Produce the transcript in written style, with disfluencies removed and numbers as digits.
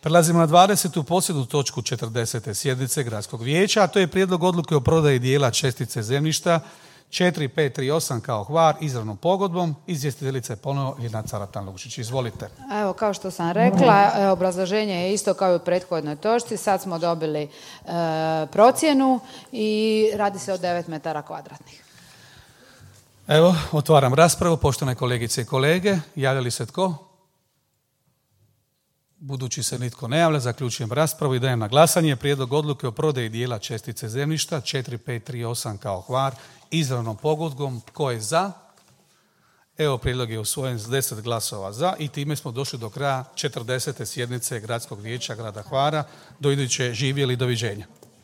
Prelazimo na 20. posljednju točku 40. sjednice Gradskog vijeća, a to je prijedlog odluke o prodaji dijela čestice zemljišta 4538 kao Hvar izravnom pogodbom. Izvjestiteljica je ponovo Ljiljana Caratan-Lučić. Izvolite. Evo, kao što sam rekla, obrazloženje je isto kao i u prethodnoj točci. Sad smo dobili procjenu i radi se o 9 metara kvadratnih. Evo, otvaram raspravu. Poštovane kolegice i kolege, javlja li se tko? Budući se nitko ne javlja, zaključujem raspravu i dajem na glasanje prijedlog odluke o prodaji dijela čestice zemljišta 4538 kao Hvar izravnom pogodbom. Tko je za? Evo, prijedlog je usvojen s 10 glasova za i time smo došli do kraja 40. sjednice Gradskog vijeća grada Hvara. Do iduće, živjeli, doviđenja.